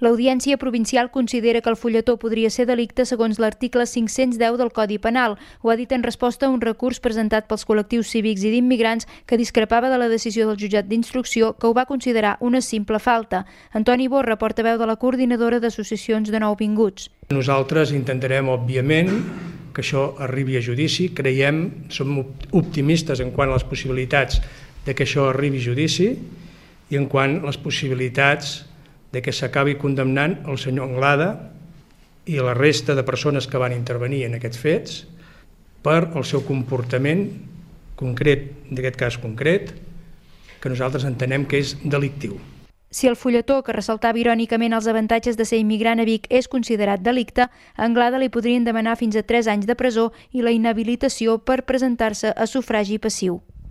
L'Audiència Provincial considera que el fulletó podria ser delicte segons l'article 510 del Codi Penal. Ho ha dit en resposta a un recurs presentat pels col·lectius cívics i d'immigrants que discrepava de la decisió del jutjat d'instrucció, que ho va considerar una simple falta. Antoni Borra, portaveu de la coordinadora d'associacions de nouvinguts. Nosaltres intentarem, òbviament, que això arribi a judici. Creiem, som optimistes en quant a les possibilitats de que això arribi a judici i en quant a les possibilitats de que s'acabi condemnant el senyor Anglada i la resta de persones que van intervenir en aquests fets per el seu comportament concret, d'aquest cas concret, que nosaltres entenem que és delictiu. Si el fulletó, que ressaltava irònicament els avantatges de ser immigrant a Vic, és considerat delicte, a Anglada li podrien demanar fins a 3 anys de presó i la inhabilitació per presentar-se a sufragi passiu.